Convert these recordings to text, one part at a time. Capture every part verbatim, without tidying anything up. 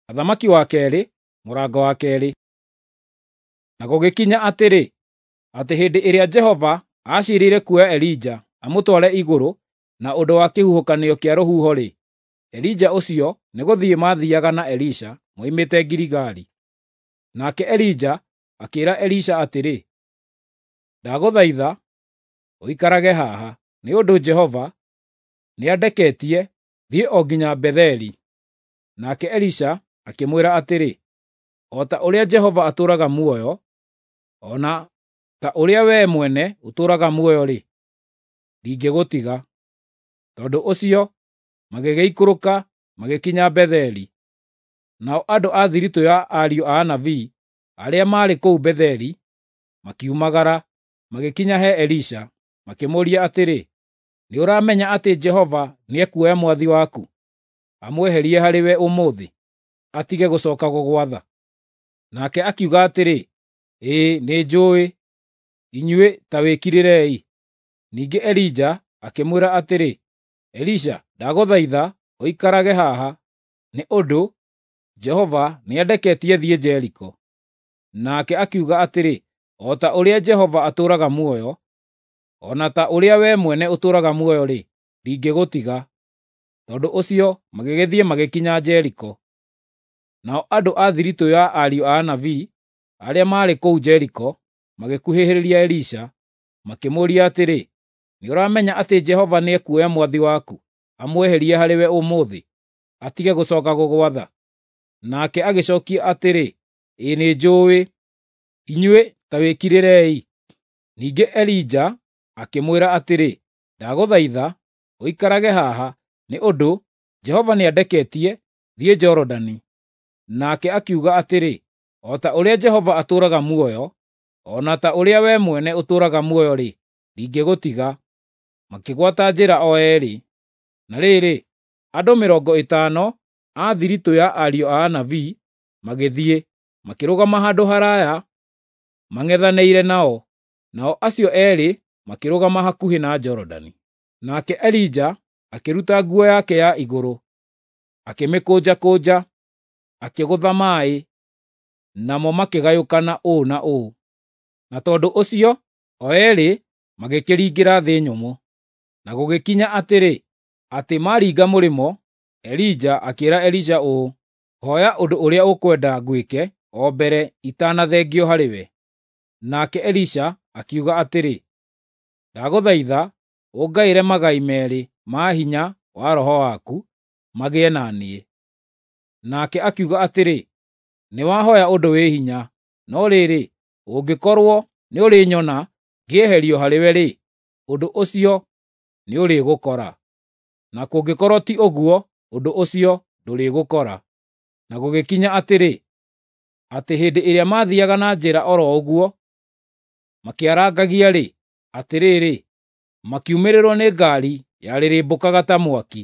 Athamaki wa keerĩ mũrango wa keerĩ. Na gũgĩkinya atĩrĩ, atĩ hĩndĩ ĩrĩa Jehova aaciirĩire kuoya Elija amũtware igũrũ na ũndũ wa kĩhuhũkanio kĩa rũhuho-rĩ, Elija ũcio nĩgũthiĩ maathiiaga na Elisha moimĩte Giligali. Nake Elija akĩĩra Elisha atĩrĩ, “Ndagũthaitha ũikarage haha, nĩ ũndũ Jehova nĩandeketie thiĩ o nginya Betheli.” Nake Elisha akĩmwĩra atĩrĩ, “O ta ũrĩa Jehova atũũraga muoyo, o na ta ũrĩa wee mwene ũtũũraga muoyo-rĩ, ndingĩgũtiga.” Tondũ ũcio magĩgĩikũrũka magĩkinya Betheli. Nao andũ a thiritũ ya ariũ a anabii arĩa maarĩ kũu Betheli makiumagara, magĩkinya he Elisha, makĩmũũria atĩrĩ, “Nĩũramenya atĩ Jehova nĩekuoya mwathi waku, amweherie harĩwe ũmũthĩ, atige gũcooka gũgwatha?” Nake akiuga atĩrĩ, “Ĩĩ nĩnjũũĩ, inyuĩ ta wĩkirĩrei.” Ningĩ Elija akĩmwĩra atĩrĩ, “Elisha, ndagũthaitha ũikarage haha, nĩ ũndũ Jehova nĩandeketie thiĩ Jeriko.” Nake akiuga atĩrĩ, “O ta ũrĩa Jehova atũũraga muoyo, o na ta ũrĩa wee mwene ũtũũraga muoyo-rĩ, ndingĩgũtiga.” Tondũ ũcio magĩgĩthiĩ magĩkinya Jeriko. Nao andũ a thiritũ ya ariũ a anabii arĩa maarĩ kũu Jeriko magĩkuhĩrĩria Elisha, makĩmũũria atĩrĩ, “Nĩũramenya atĩ Jehova nĩekuoya mwathi waku, amweherie harĩwe ũmũthĩ, atige gũcooka gũgwatha?” Nake agĩcookia atĩrĩ, “Ĩĩ nĩnjũũĩ, inyuĩ ta wĩkirĩrei.” Ningĩ Elija akĩmwĩra atĩrĩ, “Ndagũthaitha ũikarage haha, nĩ ũndũ Jehova nĩandeketie thiĩ Jorodani.” Nake akiuga atĩrĩ, “O ta ũrĩa Jehova atũũraga muoyo, o na ta ũrĩa wee mwene ũtũũraga muoyo-rĩ, ndingĩgũtiga.” Makĩgwata njĩra o eerĩ. Na rĩrĩ, andũ mĩrongo ĩtano a thiritũ ya ariũ a anabii magĩthiĩ, makĩrũgama handũ haraaya mang'ethanĩire nao, nao acio eerĩ makĩrũgama hakuhĩ na Jorodani. Nake Elija akĩruta nguo yake ya igũrũ, akĩmĩkũnjakũnja, akĩgũtha maaĩ, namo makĩgayũkana ũũ na ũũ. Na tondũ ũcio o eerĩ magĩkĩringĩra thĩ nyũmũ. Na gũgĩkinya atĩrĩ, atĩ maaringa mũrĩmo, Elija akĩĩra Elisha ũũ, “Hooya ũndũ ũrĩa ũkwenda ngwĩke o mbere itanathengio harĩwe.” Nake Elisha akiuga atĩrĩ, “Ndagũthaitha ũngaĩre magai meerĩ ma hinya wa roho waku magĩe na niĩ.” Nake akiuga atĩrĩ, “Nĩwahooya ũndũ wĩ hinya, no rĩrĩ, ũngĩkorwo nĩũrĩnyona ngĩeherio harĩwe-rĩ, ũndũ ũcio nĩũrĩgũkora, na kũngĩkorwo ti ũguo, ũndũ ũcio ndũrĩgũkora.” Na gũgĩkinya atĩrĩ, atĩ hĩndĩ ĩrĩa maathiiaga na njĩra o ro ũguo makĩarangagia-rĩ, atĩrĩrĩ, makiumĩrĩrwo nĩ ngaari yarĩrĩmbũkaga ta mwaki,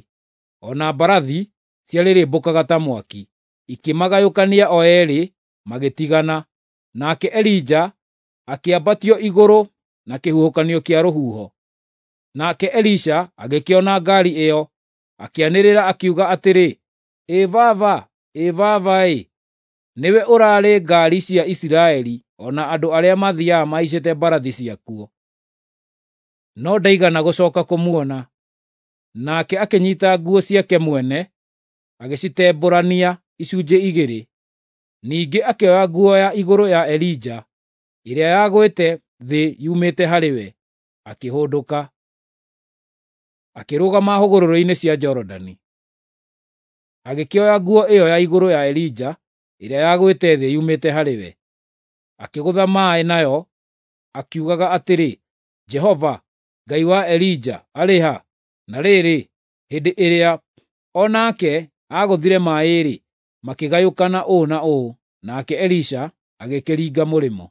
o na mbarathi ciarĩrĩmbũkaga ta mwaki, ikĩmagayũkania o eerĩ magĩtigana. Nake Elija akĩambatio igũrũ na kĩhuhũkanio kĩa rũhuho. Nake Elisha agĩkĩona ngaari ĩyo, akĩanĩrĩra akiuga atĩrĩ, “Ĩ baba, ĩ baba-ĩ! Nĩwe ũraarĩ ngaari cia Isiraeli o na andũ arĩa mathiiaga mahaicĩte mbarathi ciakuo!” No ndaigana gũcooka kũmuona. Nake akĩnyiita nguo ciake mwene, agĩcitembũrania icunjĩ igĩrĩ. Ningĩ akĩoya nguo ya igũrũ ya Elija, ĩrĩa yagwĩte thĩ yumĩte harĩ we, akĩhũndũka, akĩrũgama hũgũrũrũ-inĩ cia Jorodani. Agĩkĩoya nguo ĩyo ya igũrũ ya Elija, ĩrĩa yagwĩte thĩ yumĩte harĩ we, akĩgũtha maaĩ nayo, akiugaga atĩrĩ, “Jehova, Ngai wa Elija, arĩ ha?” Na rĩrĩ, hĩndĩ ĩrĩa o nake aagũthire maaĩ-rĩ, makĩgayũkana ũũ na ũũ, nake Elisha agĩkĩringa mũrĩmo.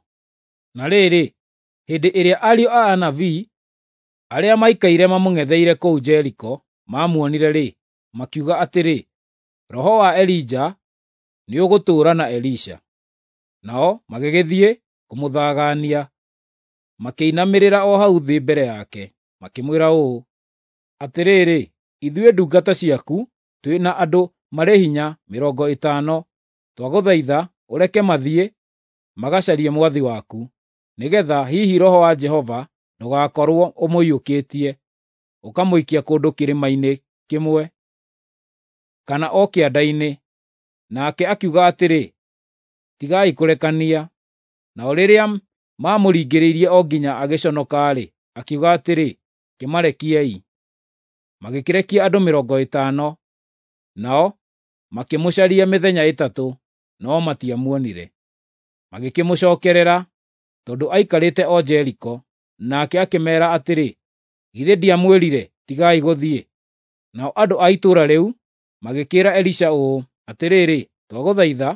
Na rĩrĩ, hĩndĩ ĩrĩa ariũ a anabii arĩa maikaire mamũng'etheire kũu Jeriko maamuonire-rĩ, makiuga atĩrĩ, “Roho wa Elija nĩũgũtũũra na Elisha.” Nao magĩgĩthiĩ kũmũthagaania, makĩinamĩrĩra o hau thĩ mbere yake, makĩmwĩra ũũ, “Atĩrĩrĩ, ithuĩ ndungata ciaku twĩ na andũ marĩ hinya mĩrongo ĩtano. Twagũthaitha ũreke mathiĩ magacarie mwathi waku, nĩgeetha hihi Roho wa Jehova ndũgakorwo ũmũiyũkĩtie, ũkamũikia kũndũ kĩrĩma-inĩ kĩmwe, kana o kĩanda-inĩ." Nake akiuga atĩrĩ, “Tigai kũrekania.” Nao rĩrĩa maamũringĩrĩirie o nginya agĩconoka-rĩ, akiuga atĩrĩ, “Kĩmarekiei.” Magĩkĩrekia andũ mĩrongo ĩtano, nao makĩmũcaria mĩthenya ĩtatũ, no matiamuonire. Magĩkĩmũcookerera, tondũ aikarĩte o Jeriko, nake akĩmeera atĩrĩ, “Githĩ ndiamwĩrire, tigai gũthiĩ?” Nao andũ a itũũra rĩu magĩkĩĩra Elisha ũũ, “Atĩrĩrĩ, twagũthaitha,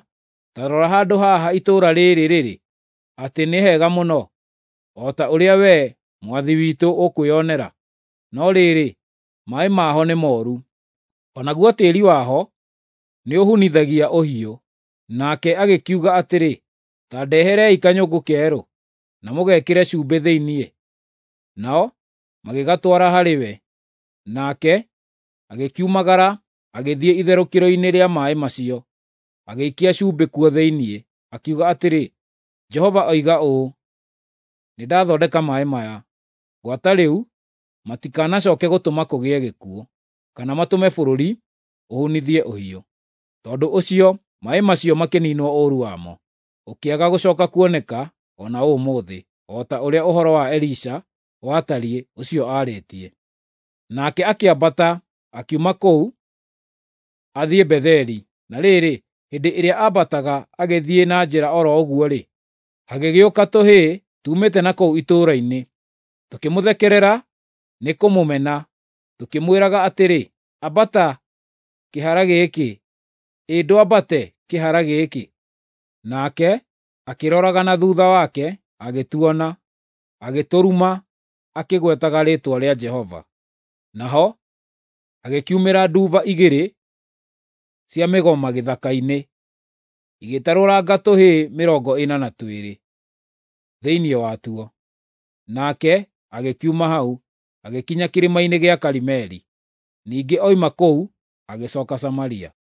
ta rora handũ haha itũũra rĩrĩ rĩrĩ, atĩ nĩ hega mũno, o ta ũrĩa wee, mwathi witũ, ũkwĩonera. No rĩrĩ, maaĩ maho nĩ mooru, o naguo tĩĩri waho nĩũhunithagia ũhiũ.” Nake agĩkiuga atĩrĩ, “Ta ndeherei kanyũngũ kerũ, na mũgekĩre cumbĩ thĩinĩ.” Nao magĩgatwara harĩ we. Nake agĩkiumagara agĩthiĩ itherũkĩro-inĩ rĩa maaĩ macio, agĩikia cumbĩ kuo thĩinĩ, akiuga atĩrĩ, “Jehova oiga ũũ, 'Nĩndathondeka maaĩ maya. Gwata rĩu matikanacooke gũtũma kũgĩe gĩkuũ, kana matũme bũrũri ũhunithie ũhiũ.'" Tondũ ũcio maaĩ macio makĩniinwo ũũru wamo, ũkĩaga gũcooka kuoneka o na ũmũthĩ, o ta ũrĩa ũhoro wa Elisha watariĩ ũcio aarĩtie. Nake akĩambata akiuma kũu athiĩ Betheli. Na rĩrĩ, hĩndĩ ĩrĩa aambataga agĩthiĩ na njĩra o ro ũguo-rĩ, hagĩgĩũka tũhĩĩ tuumĩte na kũu itũũra-inĩ, tũkĩmũthekerera nĩ kũmũmena, tũkĩmwĩraga atĩrĩ, “Ambata kĩhara gĩkĩ! Ĩ ndwambate kĩhara gĩkĩ!” Nake akĩroraga na thuutha wake agĩtuona, agĩtũruma akĩgwetaga rĩĩtwa rĩa Jehova. Naho hagĩkiumĩra nduba igĩrĩ cia mĩgoma gĩthaka-inĩ, igĩtarũranga tũhĩĩ mĩrongo ĩna na twĩrĩ thĩinĩ watuo. Nake agĩkiuma hau, agĩkinya kĩrĩma-inĩ gĩa Karimeli. Ningĩ oima kũu agĩcooka Samaria.